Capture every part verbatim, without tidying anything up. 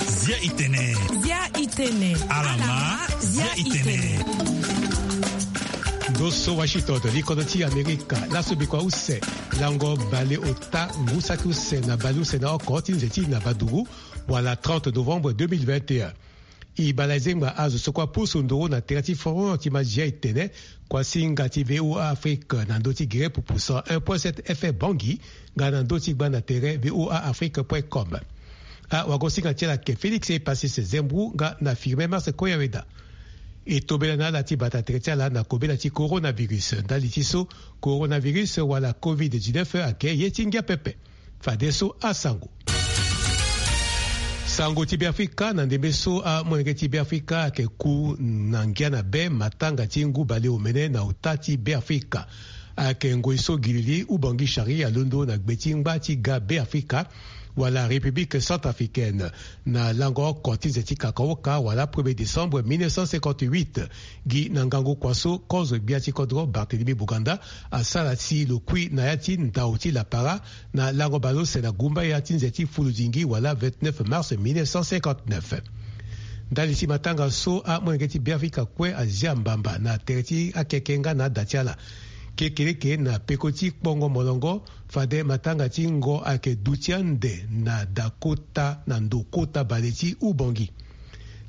Zia itene. Zia itene. Alama. Zia itene. Ndo so washington, likodo ti amerika. Laso bikua use, lango baleota, ngu saki use na baleuse na oko ti nze ti na badugu, wala trente novembre deux mille vingt et un. E bala ezengba azo so kua pusu nduru na tere ti forum ti mazia etene, kuasinga ti VOA Afrique na ndö ti gere pupu cent un point sept FM Bangui, nga na ndö ti gba na tere VOA Afrique point com. Awagosinga ti ala ayeke Félix Epasis Zembru nga na Firmin Mars Koyaweda. E tobela na ala ti bata tere ti ala na kobela ti coronavirus. Ndali ti so, coronavirus wala covid dix-neuf ayeke ye ti ngia pepe. Fadeso asango. Sango ti Beafrika. Na ndembe so amolenge ti Beafrika ayeke ku na ngia na be matanga ti ngu baleomene na ota ti Beafrika. Ayeke ngoi so gilili Ubangi Shari alondo na gbe ti ngba ti ga Beafrika, wala République centrafricaine, na lango oko ti nze ti kakaoka wala premier décembre mille neuf cent cinquante-huit. Gi na ngangu kua so kozo gbia ti kodro Barthélemy Boganda asara si lo kui na ya ti ndau ti lapara na lango baleuse na gumbaya ti nze ti fuludingi wala vingt-neuf mars mille neuf cent cinquante-neuf. Ndali ti matanga so amolenge ti Beafrika kue azia mbamba na tere ti akeke nga na ada ti ala. Kekereke na peko ti kpongo molongo, fade matanga ti ngo ayeke duti ande na da kota na ndo kota bale ti Ubangi.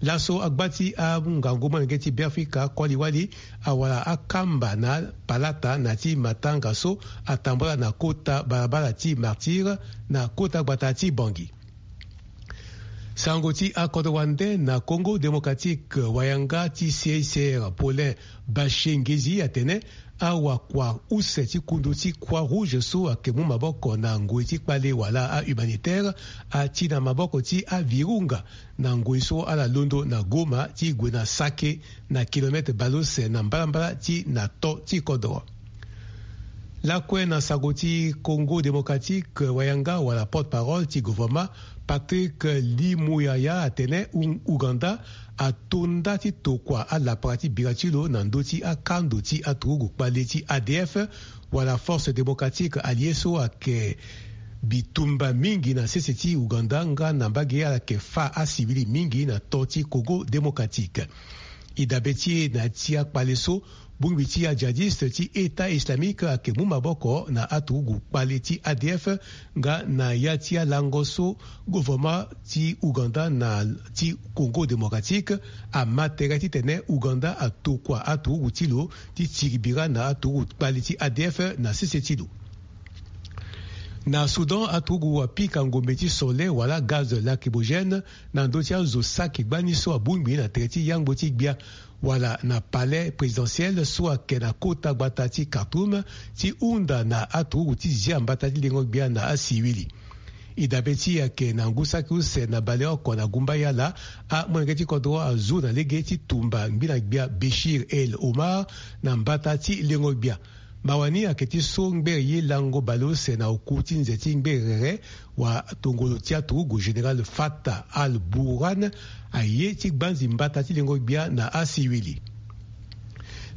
Laso agba ti angangu molenge ti Beafrika koli wali awara akamba na palata na ti matanga so atambula na kota balabala ti Martyr na kota gbata ti Bangui. Sango ti akodro wande. Na Congo Démocratique, wayanga ti C I C R Paulin Bashengezi atene awakua use ti kundu ti Croix Rouge so ayeke mu maboko na ngoi ti kpale wala ahumanitaire ati na maboko ti avirunga na ngoi so ala londo na Goma ti gue na Sake, na kilometre baleuse na mbalambala ti na to ti kodro. Lakue na sango ti Congo Démocratique, wayanga wala porte-parole ti gouvernement Patrick Limuyaya atene U- Ouganda atonda ti tokua alapara ti bira ti lo na ndö ti akando ti aturugu kpale ti A D F, wala Force Démocratique Alliée so ayeke bitumba mingi na sese ti Ouganda nga na mbage ala yeke fa asivili mingi na to ti Congo Démocratique. E dabe ti e na ya ti akpale so, bongbi ti ajihadiste ti État islamique ayeke mu maboko na aturugu kpale ti A D F, nga na ya ti alango so gouvernement ti Ouganda na ti Congo Démocratique ama tere titene Ouganda atokua aturugu ti lo ti tiri bira na aturugu kpale ti A D F na sese ti lo. Na Soudan, aturugu apika ngombe ti sole wala gaz lacrymogène na ndö ti azo saki gbani so abongbi na tere ti yangbo ti gbia, wala na palais présidentiel so ayeke na kota gbata ti Khartoum, ti hunda na aturugu ti zia mbata ti lengo gbia na asiwili. E dabe ti e ayeke na ngu saki use na baleoko na gumbaya ala, amolenge ti kodro azu na lege ti tumba ngbina gbia Béchir El Omar na mbata ti lengo gbia. Mawa ni ayeke ti so ngbere ye lango baleuse na oku ti nze ti ngbere rere, watongolo ti aturugu général Fatah al-Burhan aye ti gbanzi mbata ti lengo gbia na asiwili.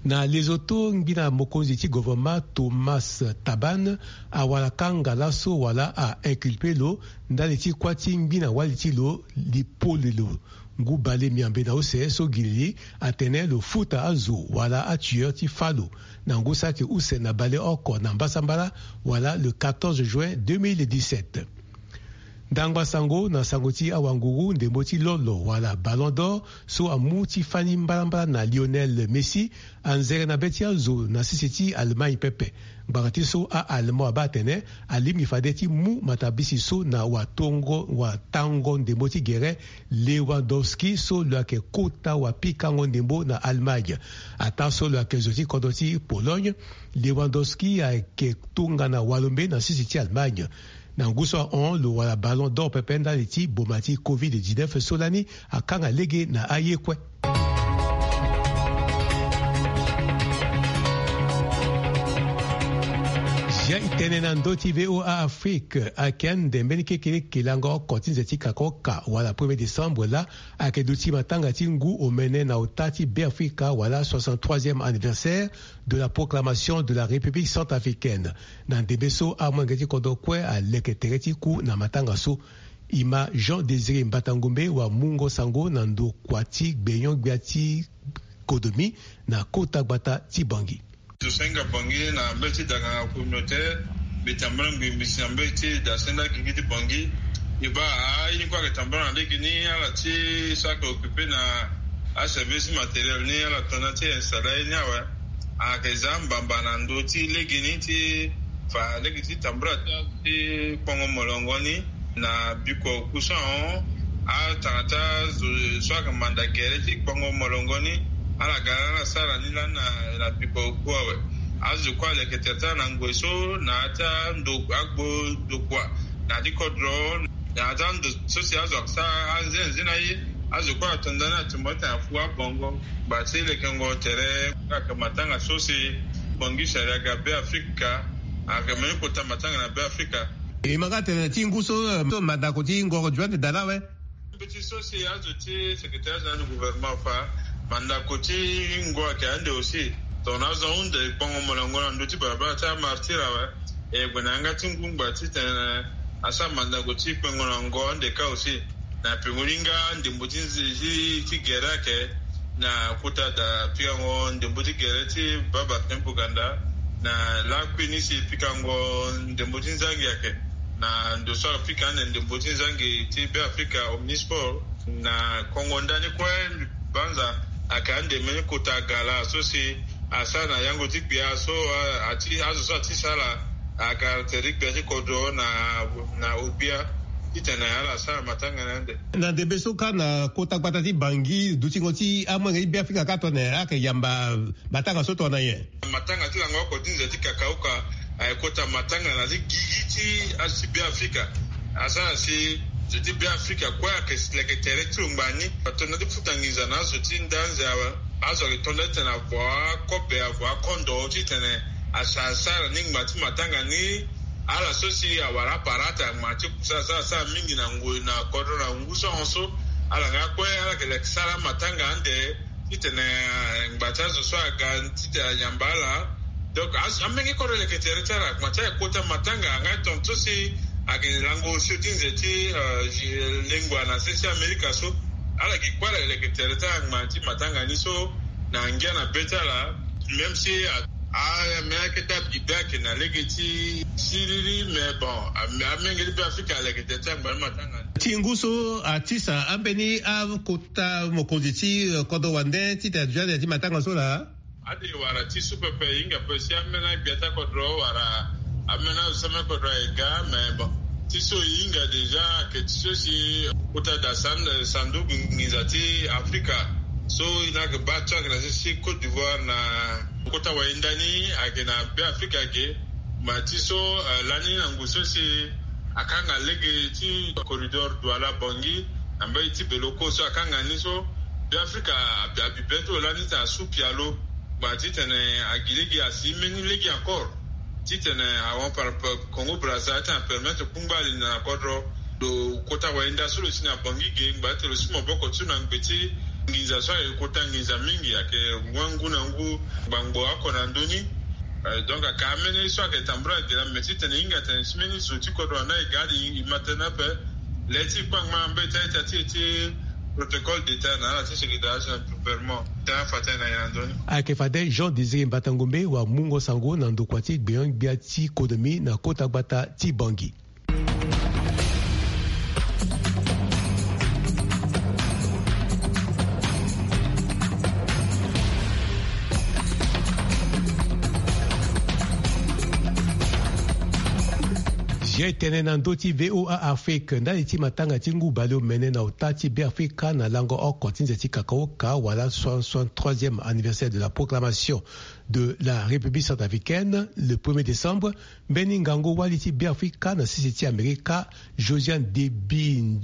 Na Lesotho, ngbina mokonzi ti gouvernement Thomas Thabane awara kanga laso wala a inculpe lo ndali ti kuâ ti ngbina wali ti lo Lipolelo. Ngu bale miambe na use so gilili atene lo futa azo wala atueur ti fâ lo na ngu saki use na baleoko na mbasambala, wala le quatorze juin deux mille dix-sept. Ndangba sango na sango ti awanguru, ndembo ti lolo wala Ballon d'Or so amu ti fani mbalambala na Lionel Messi anzere na be ti azo na sese ti Allemagne pepe. Ngbanga ti so a-Allemand abaa atene alingbi fade ti mu matabisi so na watongo watango ndembo ti gere Lewandowski so lo yeke kota wapikango ndembo na Allemagne. Ataa so lo yeke zo ti kodro ti Pologne, Lewandowski ayeke tongana walombe na sese ti Allemagne. Na ngu so ahon lo wara Ballon d'Or pepe ndali ti boma ti covid dix-neuf so lani akanga lege na aye kue. Ya e tene na ndö ti VOA Afrique, ayeke ande mbeni kekeleke lango oko ti nze ti kakaoka wala premier décembre laa, ayeke duti matanga ti ngu omene na ota ti Beafrika wala soixante-troisième anniversaire de la proclamation de la République centrafricaine. Na ndembe so amolenge ti kodro kue aleke tere ti ku na matanga so. Ima Jean Désiré Mbatangombe wa mungo sango na ndokua ti gbenyo-gbia ti Kodomi na kota gbata ti Bangui. Tosenga Bangui na mbeti daganga communautaire, mbi tambula ngbingbisi na mbeti dasenda gigi ti Bangui. Iba a ini kue ayeke tambula na lege ni ala ti so ayeke occupe na aservice matériel ni ala tona ti installe aye ni awe. Ayeke za mbamba na ndö ti lege ni ti fa lege ti tambula ti kpongo molongo ni na biko oku so ahon. Atanga ti azo so ayeke manda gere ti kpongo molongo ni ala ga ala sara ni lani na biko oku awe. Azo kue aleke tere ti ala na ngoi so na ya ti ando agbo ndokua na ya ti kodro na ya ti ando so si azo ayeke sara anzenze na ye. Azo kue ato ndani atumba ti tene afu abongo ngba ti lekengo tere. Ayeke matanga so si Bangui sari aga Beafrika. Ayeke mbeni kota matanga na Beafrika. E ma nga tene ti ngu so, eh, so mandako ti ngoro Joan Dala awe. Mbeti so si azo ti secrétaire général du gouvernement afa, mandako ti ngu ayeke ande aussi. Tongana azo ahunda e kpongo molongo na ndö ti balabala ti amartyr awe. E gue na yanga ti ngu ngba titene asara mandako ti kpengo na ngo ande kâ aussi. Na pengo ni nga ndembo ti nze ti, ti gere ayeke na kota da pikango ndembo ti gere ti baba Kempouh Ganda. Na lakui ni si pikango ndembo ti nzangi ayeke na ndo so apika ande ndembo ti nzangi ti Beafrika Omnisport. Na kongo ndani kue banza ayeke ande mbeni kota gala so si asara na yango ti gbia so, a, ati, azo so ati sara agara tere ti gbia ti kodro na, na ogbia titene ala sara matanga na ande. Na ndembe so kâ na kota gbata ti Bangui, dutingo ti amolenge ti Beafrika kâ tongana nyen, ayeke yamba matanga so tongana nyen? Matanga ti lango oko ti nze ti kakaoka ayeke kota matanga na ti gigi ti azo ti Beafrika. Asara si zo ti Beafrika kue ayeke leke tere ti lo ngbani. Ato na ti futa nginza na azo ti nda anze awe. Azo ayeke to nda titene avo akobe, avo akondo titene asara, asara ni ngba ti matanga ni. Ala so si awara aparata ngba ti kusa asara, asara mingi na ngoi na kodro na ngu so ahon so. Ala nga kue ala yeke leke sara matanga ande titene, eh, ngba ti azo so aga titene ayamba ala. Donc, as-, amenge kodro leke tere ti ala, ngba ti ala kota matanga, anga tongaso si ayeke lango osio ti nze ti, eh, lengua na sese Amerika so. Ala gi kue ala leke tere ti ala ngba ti matanga ni so, na ngia na be ti ala, même si a, a, me ayeke ti abibe ayeke na lege ti siriri, mais bon, a, amenge ti Beafrika aleke tere ti ala ngba ti matanga ni. Ti ngu so atisa ambeni akota mokonzi ti, eh, kodro wande titene aduti ande ti matanga so laa? Ade wara ti so pepe e hinga pe si ambeni agbia ti akodro wara ambeni azo ti ambeni kodro aye ga, mais bon, ti so e hinga déjà ayeke ti so si kota da san-, sanduku nginza ti Afrika so e na yeke baa ti ayeke na sese ti Côte d'Ivoire na kota wayenda ni ayeke na Beafrika ge. Ma ti so, eh, lani na ngu so si akanga lege ti corridor Douala-Bangui na mbage ti Beloko so akanga ni so, Beafrika abi, abi be ti lo lani titene asu pialo. Ngba titene agi lege asi mbeni lege encore titene ahon par, par Congo Brazza titene apermettre kungba ali na kodro. Lo kota wayenda so lo si na Bangui ge ngba ti lo si maboko ti lo na ngbe ti nginza so ayeke kota nginza mingi, ayeke ngu na ngu ngbangbo oko na ndö ni. Eh, donc ayeke ambeni so ayeke tambula ge laa, me titene e hinga tene si mbeni zo ti kodro wande aye ga ade e ma tënë ape. Le ti kpangba na mbeti aita ti e ti protocole d'État na ala ti secrétariat général du gouvernement ti afa ti aye na nyen na ndö ni. Ayeke fade Jean Désiré Mbatangombe wa mungo sango na ndokua ti gbenyo-gbia ti Kodomi na kota gbata ti Bangui. Zia e tene na ndö ti VOA Afrique, ndali ti matanga ti ngu baleomene na ota ti Beafrika na lango oko ti nze ti kakaoka wala soixante-troisième anniversaire de la proclamation de la République centrafricaine, le premier décembre, mbeni ngangu wali ti Beafrika na sese ti Amerika, Josiane Debi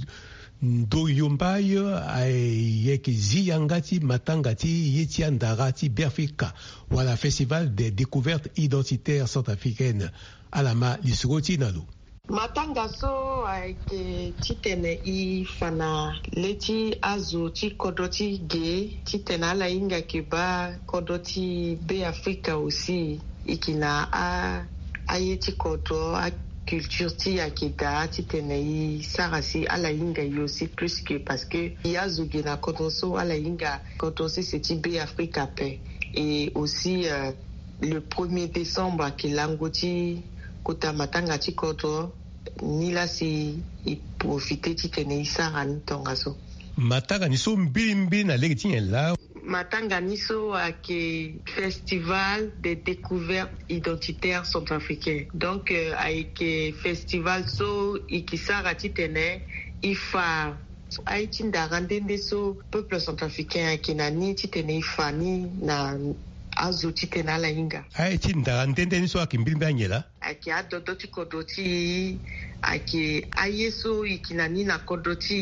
Ndoyombaye, ayeke zi yanga ti matanga ti ye ti andara ti Beafrika, wala Festival des découvertes identitaires centrafricaines. Ala ma lisoro ti na lo. Matanga so ayeke titene e fa na le ti azo ti kodro ti ge titene ala hinga ke baa kodro ti Be Afrika aussi. E ke na a aye ti kodro, aculture ti e ayeke daa titene e sara si ala hinga e aussi plus que, parce que e azo ge na kodro so ala hinga kodro sese ti Be Afrika ape. Et aussi, euh, le premier décembre ayeke lango ti kota matanga ti kodro. Ni laa si e profite titene e sara ni tongaso. Matanga ni so mbirimbiri na lege ti nyen laa? Matanga ni so ayeke Festival des découvertes identitaires centrafricaines. Donc, euh, ayeke festival so e ke sara titene e fa aye ti ndara nde nde so peuple centrafricain ayeke na ni titene e fa ni na azo titene ala hinga. Aye ti ndara nde nde ni so ayeke mbirimbiri anyen laa? Ayeke adodo ti kodro ti e, ayeke aye so e ke na ni na kodro ti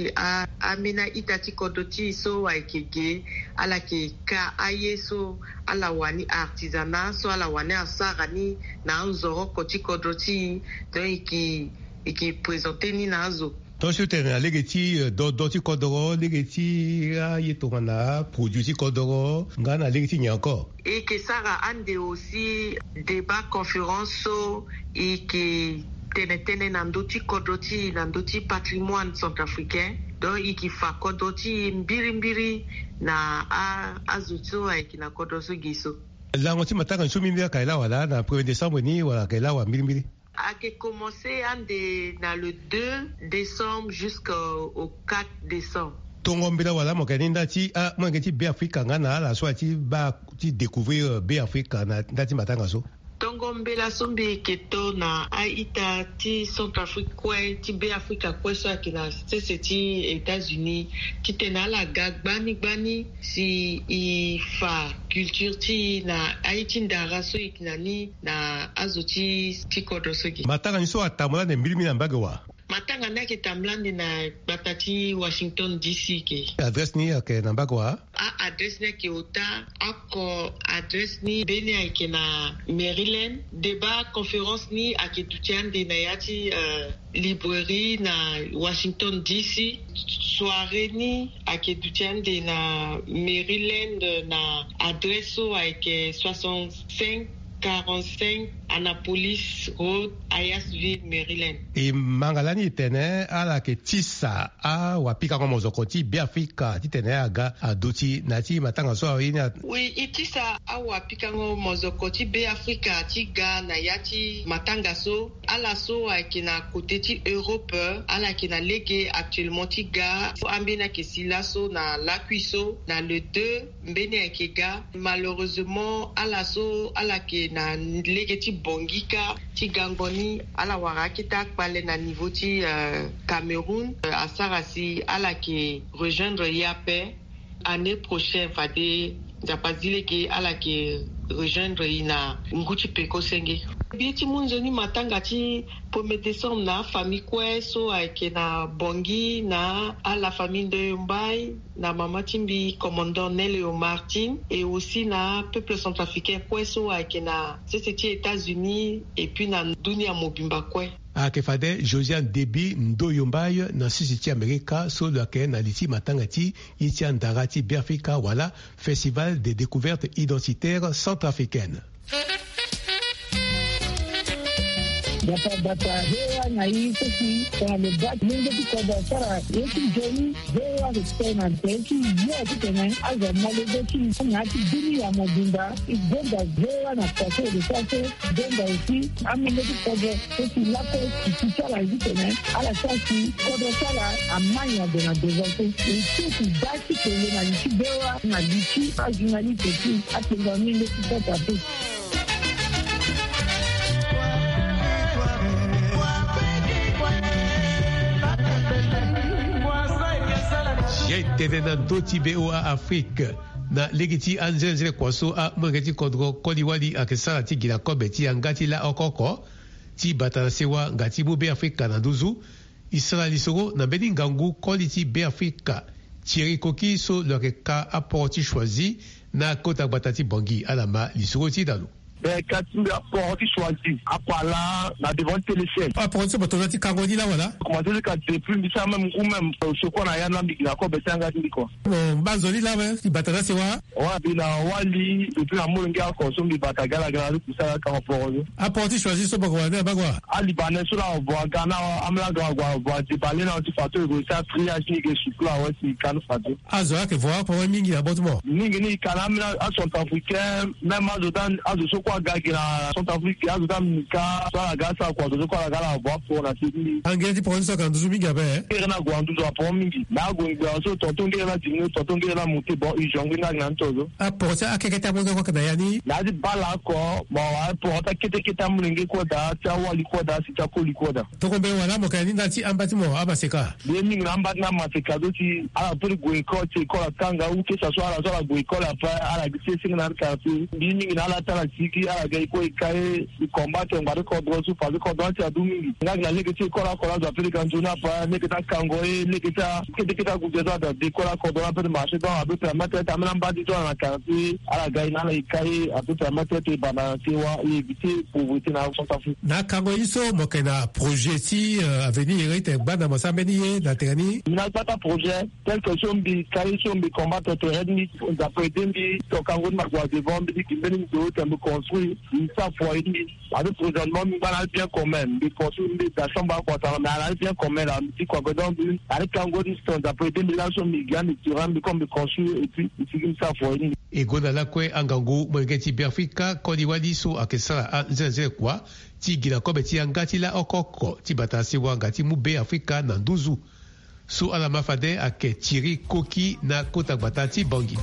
e, a, ambeni a-ita ti kodro ti e so ayeke ge, ala yeke ka aye so ala wani artisanat so ala wani asara ni na anzoroko ti kodro ti e. Donc e ke, e ke présenter ni na azo. Tongaso tene na lege ti, euh, dodo ti kodoro, lege ti aye tongana produit ti kodoro nga na lege ti nyen encore? E ke sara ande aussi débat conférence so e ke tene tënë na ndö ti kodro ti e, na ndö ti patrimoine centrafricain. Donc e ke fa kodro ti e mbirimbiri na a, azo so ayeke na kodro so ge so. Lango ti matanga ni so mbirimbiri ayeke lawa laa na premier décembre ni wala ayeke lawa mbirimbiri? Ayeke commencer ande na le deux décembre jusqu'au quatre décembre. Tongo mbela wala mo yeke ni nda ti amolenge ti Be Afrika nga na ala so aye ti baa ti découvrir, euh, Be Afrika na nda ti matanga so? Tongo mbela so mbi yeke to na a-ita ti Centrafrique kue, ti Be Afrika kue so ayeke na sese ti États-Unis, titene ala ga gbani gbani si e fa culture ti e na aye ti ndara so e yeke na ni na azo ti, ti kodro so ge. Matanga ni so atambula ande mbirimbiri na mbage wa? Matanga ni ayeke tambula ande na gbata ti Washington D C ge. Adresse ni ayeke na mbage wa? A-adresse ni ayeke ota oko, adresse ni mbeni ayeke na Maryland. Débat conférence ni ayeke duti ande na ya ti, euh, librairie na Washington D C. Soirée ni ayeke duti ande na Maryland na adresse so ayeke soixante-cinq quarante-cinq Annapolis Road, Hyattsville, Maryland. E manga lani e tene ala yeke tisa awapikango mozoko ti Be Afrika titene aga aduti na ya ti matanga so aye ni a. Oui, e tisa awapikango mozoko ti Be Afrika ti ga na ya ti matanga so. Ala so ayeke na côté ti Europe, ala yeke na lege actuellement ti ga. Ambeni ayeke si laso na lakui so na le deux, mbeni ayeke ga. Malheureusement ala so ala yeke na lege ti Bangui kâ ti gango ni, ala wara akete akpale na niveau ti, euh, Cameroun, euh, asara si ala yeke rejoindre e ape. Année prochaine fade Nzapa zi lege ala yeke rejoindre e na ngu ti peko senge. Mbi ti mu nzoni matanga ti premier décembre na afamille kue so ayeke na Bangui, na ala famille Ndoyo Mbaye, na mama ti mbi commandant Nelio Martine, et aussi na peuple centrafricain kue so ayeke na sese ti États-Unis et puis na dunia mobimba kue. Ayeke fade Josiane Deby Ndoyo Mbaye na sese ti Amerika so lo yeke na li ti matanga ti ye ti andara ti Beafrika wala Festival des découvertes identitaires centrafricaines. Bata bata hewa na i so si tongana lo baa ti lenge ti kodro asara ye ti nzoni. Hewa respect na nze ti yo titene azo mo lege ti na ya ti dunia mobimba. E gonda hewa na kua so e lo sara so. Gonda aussi amolenge ti kodro so si lakue ti ti ti ala ye titene ala sara si kodro ti ala ama nyon ade na devant so. E so si baa ti kele na li ti bewa na li ti ajournaliste ti atengo amolenge ti kota pe. Ye tene na ndö ti B O A Afrique na lege ti anzenenzele kua so amolenge ti kodro koli wali ayeke sara ti gi na kobe ti yanga ti laoko oko ti bata na sewa nga ti mu Beafrika na nduzu. E sara lisoro na mbeni ngangu koli ti Beafrika Thierry Koki so lo yeke ka aporo ti Choisy na kota gbata ti Bangui. Ala ma lisoro ti da lo. Mais ka ti mbi aporo ti choisi apala na devant ti télévision. Aporo ti so mo tongana ti kango ni la wala? Commencé ti ka depuis mbi sara même ngu même, euh, secours na ya na mbi gi na kobe ti anga ti mbi kua. Mo mba nzoni la we ti bata na sewa? Wa mbi na wali depuis na molenge oko so mbi bata gala gala ti kusala kango poro so. Aporo ti choisi so boko wala ni abagua? Alibanais so la avo aga na amolenge avo avo adebale na ti fato e go sa triage ni ge sukula awe si kanu fato. Azo ayeke vo aporo mingi na bot mo. Mingi ni ka na ambeni acentrafricain, même azo dan azo so kue aga gi na centrafrique azo dan mini ka so ala ga asara kua azo so kue ala ga ala avo aporo na se ti mbi. Angere ti poro ni so ayeke na nduzu mingi ape? Ngere ni ague na nduzu aporo mingi. Na ague ngbe azo so tonton ngere ni adimine tonton ngere ni amonte bon usion ngbeni ake na ni to so. Aporo ti akekete amolenge kue ayeke na ya ni? Na ya ti bala oko mo wa aporo ti akete kete amolenge kue daa ti awali kue daa si ti akoli kue daa. Toko mbeni wala mo yeke na ni ndali ti amba ti mo amaseka? Mbi ye mingi na amba ti na maseka so ti ala peut ti gue école ti école atanga ou que ça soit ala so ala gue école après ala gi sese na ala quartier. Mbi ye mingi na ala ti ala sigi ala ga école e ka ye e combattre ngba ti kodro so parce que kodro ni ti adu mingi. Nga gi na lege ti école oko la azo ape ti ga nzoni après lege ti akango ye lege ti akete kete agude so ada de école akodro la ape ti marché donc ape permettre ti ambeni amba ti so ala na quartier ala ga ye na ala e ka ye ape permettre ti e banda na sewa e éviter pauvreté na centrafrique. Na akango ye so mo yeke na projet ti, euh, avenir ye ti tene gbanda mo sara mbeni ye na tere ni? Mbi na gbata projet tel que so mbi ka ye so mbi combattre tere ti mbi, nzapa aide mbi, to kango ti mbi ague devant mbi ti gi mbeni ndo tene mbi construire mbi sara foyer ti mbi. Ape présentement mbi ngba na ali bien commun mbi construire mbi da chambre akua tanga mais ala ali bien commun la mbi ti kua donc mbi na ali kango ti so nzapa aide mbi laso mbi gi ande tirant mbi comme mbi construire et puis mbi sigi mbi sara foyer ti mbi. E gonda lakue angangu molenge ti Beafrika koli wali so ayeke sara anzenze kua ti gi na kobe ti yanga ti laoko oko ti bata sewa nga ti mu Beafrika na nduzu. So ala ma fade ayeke Thierry Koki na kota gbata ti Bangui.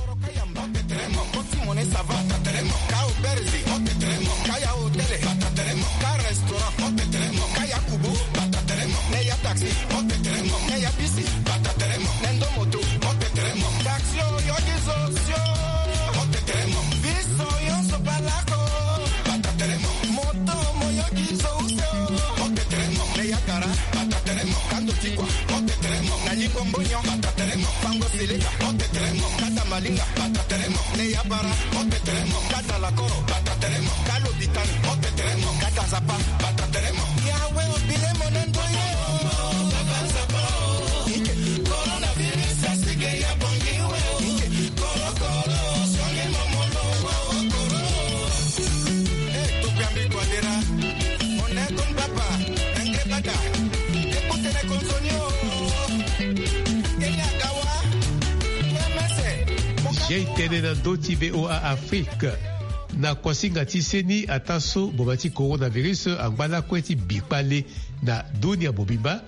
Moto moyoki zo use o. Mopetelemo. Neya kara. Batatelemo. Kando tikwa. Mopetelemo. Nalingo mbonyo. Batatelemo. Fango seleka. Mopetelemo. Kata malinga. Batatelemo. Neya bara. Mopetelemo. Kata lakoro. Batatelemo. Kalo bitani. Mopetelemo. Kata zapa. Batatelemo. Yawe obilemo na ndoye. Coronavirus asige ya bongi we. Jei tene na ndö ti V O A Afrique. Na kuasinga ti seni ataa so boma ti coronavirus angba lakue ti bi kpale na dunia mobimba,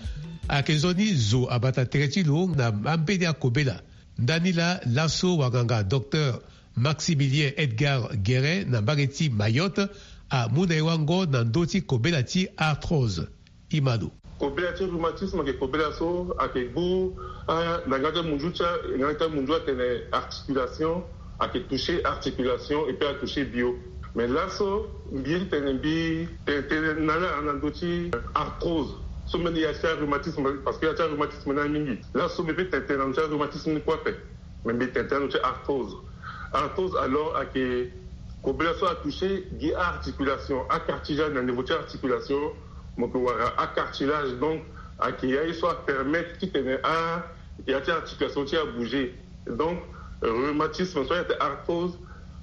ayeke nzoni zo abata tere ti lo na ambeni akobela. Ndani laa laso wanganga docteur Maximilien Edgar Guérin na mbage ti Mayotte amu na e wango na ndö ti kobela ti arthrose. Imano. Kobela ti rhumatisme ayeke kobela so ayeke gbu, ah, na nga ti amunzu ti a, nga ti amunzu atene articulation, ayeke toucher articulation et puis atoucher bio. Mais laso mbi ye ti tene mbi tene tënë na ala na ndö ti arthrose. So mbeni ya ti arhumatisme parce que ya ti arhumatisme ni amingi. Laso mbi peut tene tënë na ndö ti arhumatisme ni kue ape. Mais mbi tene tënë na ndö ti arthrose. Arthrose alors ayeke kobela so atoucher gi articulation, acartilage na niveau ti articulation. Mo yeke wara acartilage donc ayeke ya ye so apermettre ti tene a ya ti articulation ti abouger. Donc rhumatisme so ayeke arthrose,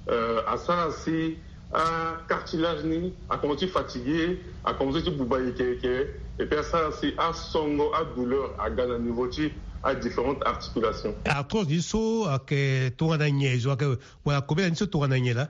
euh, asara si acartilage ni akomanse ti fatigué, akomanse ti buba yeke yeke. Et puis asara si asongo adouleur aga na niveau ti adifférentes articulations. Arthrose ni so ayeke tongana nyen? Zo ayeke wala kobela ni so tongana nyen laa?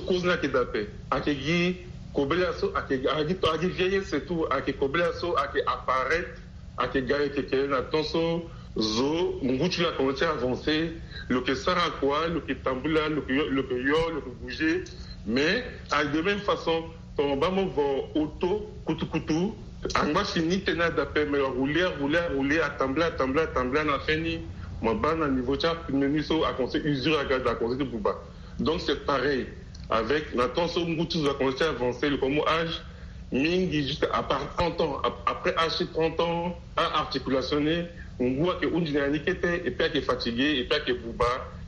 Cause ni ayeke daa ape. Ayeke gi kobela so ayeke, ayeke gi, ayeke gi vieillesse surtout, ayeke kobela so ayeke apparaître, ayeke ga yeke yeke na temps so zo ngu ti lo akomanse ti avancer. Lo yeke sara kua, lo yeke tambula, lo yeke yo, lo yeke yo, lo yeke bouger. Mais ayeke de même façon tongana mo baa mo vo auto kutukutu, angba si ni tënë adaa ape, mais lo arouler, arouler, arouler, atambula, atambula, atambula, na fin ni mo baa na niveau ti apneu ni so akomanse usure aga, akomanse ti buba. Donc c'est pareil avec na temps so ngu ti zo akomanse ti avancer, lo komo âge mingi jusqu'à à part trente ans. Ap-, après âge ti trente ans, a-articulation ni ngu ayeke hunzi na ya ni kete, et puis ayeke fatigué, et puis ayeke buba,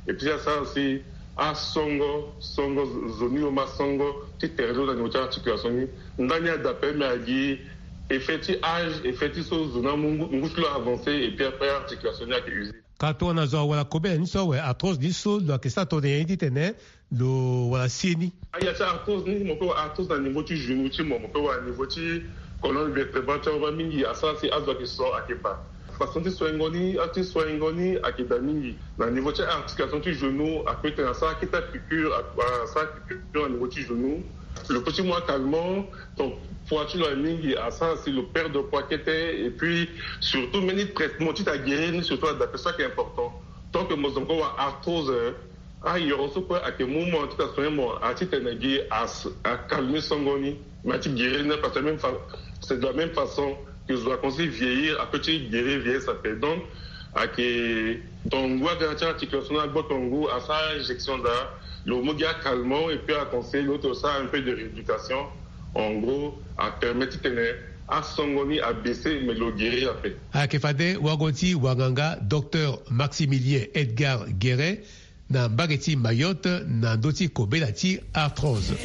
et puis asara si Asongo songo zo ni yo ma songo ti tere lo na niveau ti articulation ni. Ndani ada pe me agi effet ti âge, effet ti so zo na mu ngu ti lo avancé et puis après articulation ni ake usé. Ka tongana zo awara kobela ni so awe arthrose ni so lo yeke sara tongana nyen titene lo wara si ye ni? Aya ti arthrose ni mo pe wara arthrose na niveau ti genou ti mo mo pe wara niveau ti colonne vertébrale ti awe mingi asara si azo ake so ake ba. Façon ti soingo ni ti soingo ni ake da mingi na niveau ti articulation ti genou ape tene asara kete piqûre asara piqûre na niveau ti genou. Lo pe ti mu acalmant. Donc poids ti lo aye mingi asara si lo perdre poids kete. Et puis surtout mbeni traitement ti ta guérir ni surtout adaptation ake important. Tant que mo zo mo ko wara arthrose ayoro so kue ake mu mo ti ta soin mo ati tene gi as akalme songo ni. Mais ati guérir ni parce que même fa c'est de la même façon que zo akosi vieillir ape ti guérir vieillesse ape. Donc ake donc ngu aga ti articulation na gboto ngu asara injection da lo mu gi acalmant et puis aconseiller lo ti lo sara un peu de rééducation. En gros apermet titene asongo ni abaisser mais lo guérir ape. Ayeke fade wago ti wanganga docteur Maximilien Edgar Guéret na mbage ti Mayotte na ndö ti kobela ti arthrose.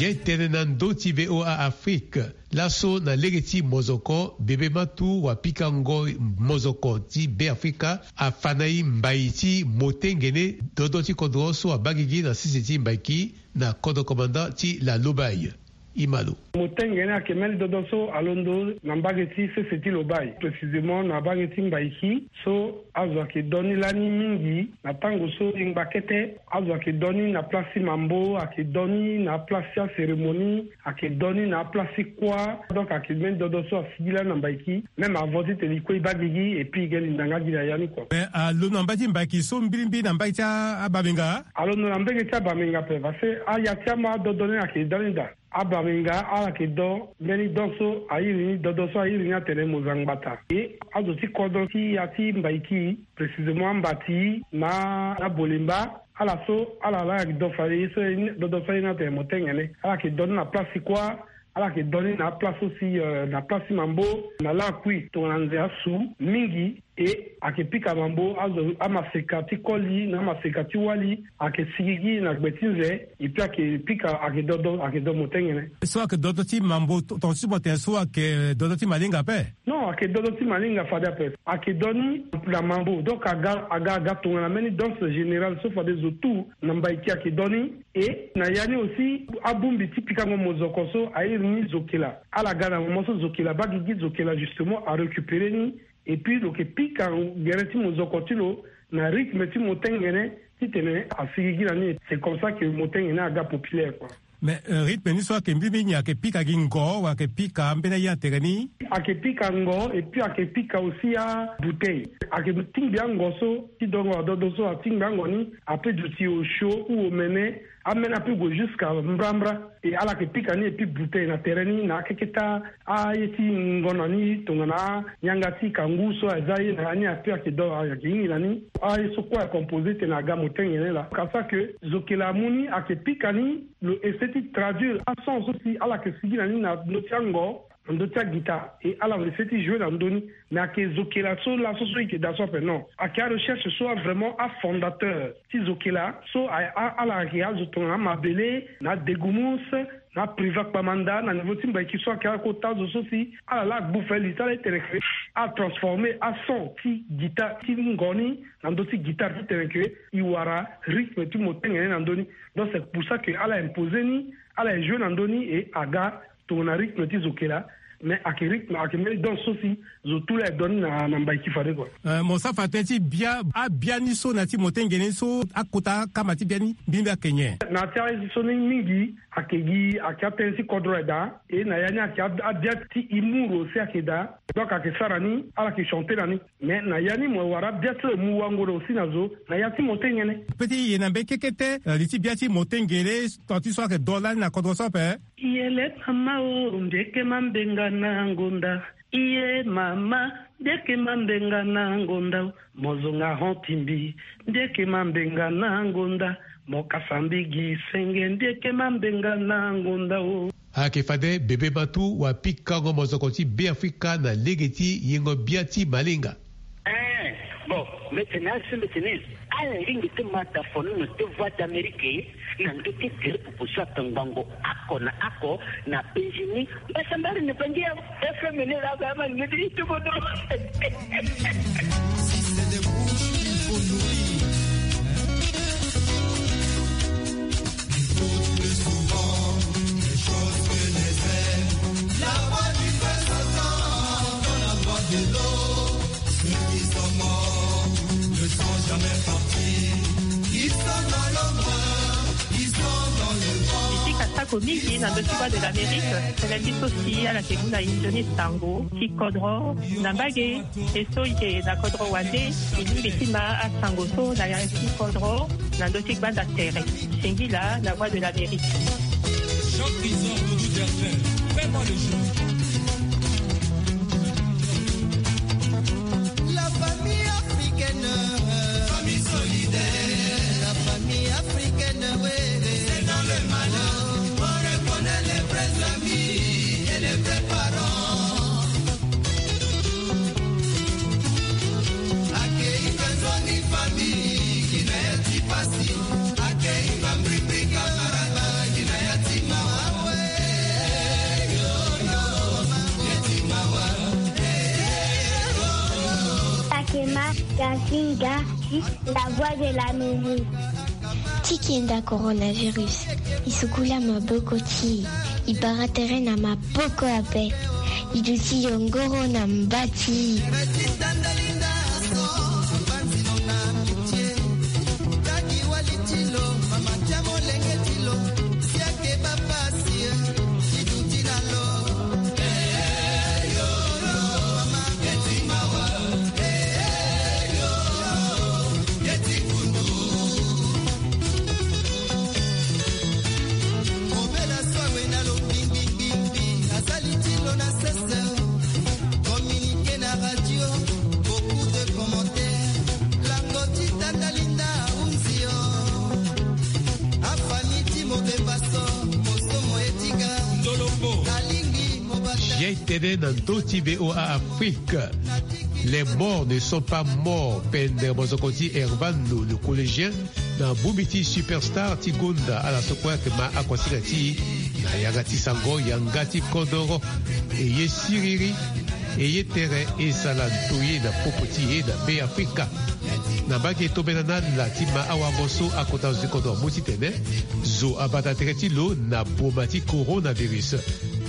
Ge tene na ndö ti V O A Afrique. Laso na lege ti mozoko bebe matu wa pikango mozoko ti Beafrika afa na e mbai ti motengene dodo ti kodro so abaa gigi na sese ti Mbaiki na kodro komanda ti la Lobaye. Imalo. Motengene ayeke mbeni dodo so alondo na mbage ti sese ti Lobaye, précisément na mbage ti Mbaiki. So azo ayeke do ni lani mingi na tango so e ngba kete. Azo ayeke do ni na place ti mambo, ayeke do ni na place ti acérémonie, ayeke do ni na aplace ti kuâ. Donc ayeke mbeni dodo so asigi lani na Mbaiki. Même avant titene e kue e baa gigi et puis e ge linda nga gi na ya ni kua. Mais alondo na mbage ti Mbaiki so mbilimbili na mbage ti abamenga? Alondo na mbage ti abamenga ape parce que aya ti ama adodo ni ayeke da ni daa. Abamenga ala yeke do mbeni don so a iri ni dodo so a iri ni atene mozangbata. E azo ti kodro ti ya ti Mbaiki, précisément ambati na abolemba, ala so ala la yeke do fade ye so dodo so a iri ni atene motengene. Ala yeke do ni na place ti kuâ. Ala yeke do ni na aplace so si na place ti mambo na lakui tongana nze asu mingi. E ayeke pika mambo azo amaseka ti koli na amaseka ti wali ayeke sigigi na gbe ti nze. Epui ayeke pika ayeke dodo ayeke do motengene. So ayeke dodo ti mambo tonga ti mo tene so ayeke dodo ti malinga ape? Non, ayeke dodo ti malinga fade ape. Ayeke do ni na mambo donc aga aga aga tongana mbeni danse générale so fade zo tout na Mbaiki ayeke do ni. E na ya ni aussi abongbi ti pikango mozoko so a iri ni zokela. Ala ga na moment so zokela abaa gigi, zokela justement arécupérer ni. Epui lo yeke pika gere ti mozoko ti lo na rythme ti motengene titene asigigi na ni. C'est comme ça que motengene aga populaire kua. Mais rythme ni so ayeke mbi mingi ayeke pika gi ngo wala ayeke pika ambeni aye na tere ni? Ayeke pika ngo epui ayeke pika aussi abouteille. Ayeke tingbi ango so ti dongo adodo so atingbi ango ni ape duti osio ou omene. Amene ape gue jusqu'à mbrambra. E ala yeke pika ni epui bouteille na tere ni na akeketa aye ti ngonda ni tongana anyanga ti kangu so aza ye na ya ni ape ayeke do ayeke hingi na ni. Aye so kue acomposé tene aga motengene laa. Kasa ke zokela amu ni ayeke pika ni lo essayer ti traduire ason so si ala yeke sigi na ni na ndö ti ango na ndö ti agita. E ala essayer ti jouer na ndö ni. Mais ayeke zokela so laso so e yeke daa so ape non. Ayeke arecherche so avraimment afondateur ti zokela so ala yeke azo tongana amabele na adegumus na apriva kpamanda na niveau ti Mbaiki so ayeke akota azo so si ala laa agbu fali ti ala ti tene ke atransformer ason ti guitare ti ngo ni na ndö ti guitare ti tene ke e wara rythme ti motengene na ndö ni. Donc c'est pour ça que ala imposer ni, ala e jouer na ndö ni et aga tongana rythme ti zokela. Mais ake rythme, ake mbeni danse so si zo tu la e don ni na na mbai ti fade kua. Mo sa fa tënë ti bia abiani so na ti motengene so akota akama ti biani mbimbi ake nyen? Na ti aye so ni mingi ake gi ake atënë ti kodro aye daa. E na ya ni ake abia ti humour aussi ake daa. Donc ake sara ni ala ke chanter na ni. Mais na ya ni mo wara bia ti lo e mu wango na aussi na zo na ya ti motengene. Pe ti ye na mbeni kekete li ti bia ti motengene. Tant ti so ake do lani na kodro so ape. Yele mama o, ndeke mambenga na ngonda. Iye mama, ndeke mambenga na ngonda o. Mo zonga hon ti mbi, ndeke mambenga na ngonda. Mo kasa mbi gi senge, ndeke mambenga na ngonda o. Ayeke fade bebe matu wapikango mozoko ti Beafrika na lege ti yengo bia ti malinga. Eh, bon, mbetene asi mbetene. Ala ringi ti mata fono na te Voix d'Amérique na ndö ti gere popo so atongbango ako na ako na Benjini. Mbasambari na bangi ya F M ni la ba ma ni ti tuko do. Si c'est des bouches, il faut nourrir. Écoute plus souvent les choses que les aimes. La voix du cœur s'entend dans la voix de l'eau. Ceux qui sont morts ne sont jamais partis. Ils sont dans l'ombre, ils sont dans le vent. Bisika sako mingi na ndö ti Voix de l'Amérique, tënë ti so si ala ke mu na e nzoni sango ti kodro na mbage. E so e yeke na kodro wande, e lingbi ti ma asango so na ya ti kodro na ndö ti gbanda tere. Singila na Voix de l'Amérique. Jean Chrysor Doudou Delphin, fais-moi le jeu. La famille africaine, famille solidaire. La famille africaine, oui. C'est dans le malheur qu'on reconnaît les vrais amis et les vrais parents. Akema Gasinga, la voix de l'Amérique. Ti kenda coronavirus, e sukula maboko ti e, e bara tere na maboko ape, e duti yongoro na mba ti e. Jai tene na ndö ti V O A Afrique. Les morts ne sont pas morts, pendere mozoko ti Hervano, le collégien, na bongbi ti Superstar ti gonda ala so kue ayeke ma akuasinga ti e na yanga ti sango, yanga ti kodoro. E ye siriri, e ye tere, e sara ndoye na popo ti e na Beafrika. Na mbage tongana na ala ti ma awango so akota zo ti kodro amu titene zo abata tere ti lo na boma ti coronavirus.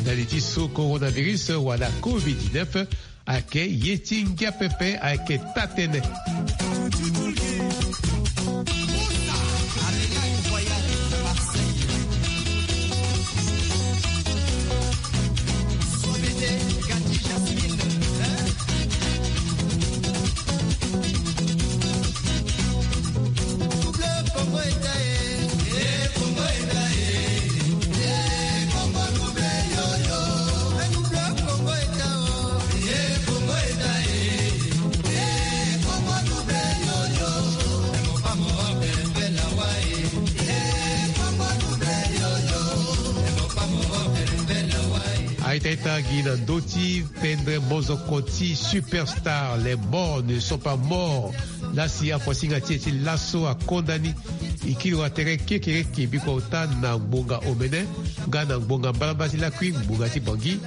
Na li ti so coronavirus wala covid dix-neuf ayeke ye ti ngia pepe, ayeke taa-tënë. Aita ita gi na ndö ti pendere mozoko ti Superstar, les morts ne sont pas morts. Lasi akuasinga ti e ti laso akonda ni. E kiri wa tere kekereke bikua ota na ngbonga omene nga na ngbonga mbalambala ti lakui ngbonga ti Bangui,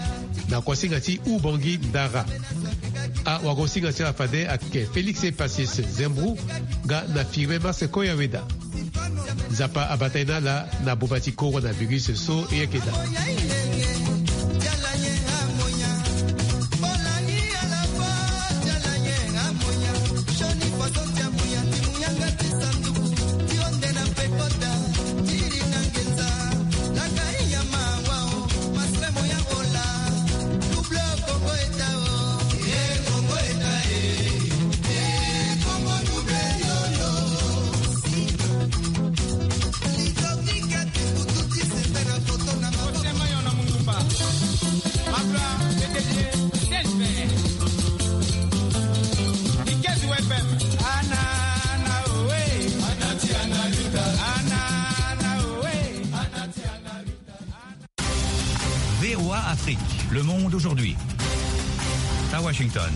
na kuasinga ti Ubangui Ndara. Awagosinga ti ala fade ayeke Félix Epacius Zembro nga na Firmin Marseco Yaweda. Nzapa abata e na ala na boma ti coronavirus so e yeke daa. V O A Afrique, le monde aujourd'hui. À Washington.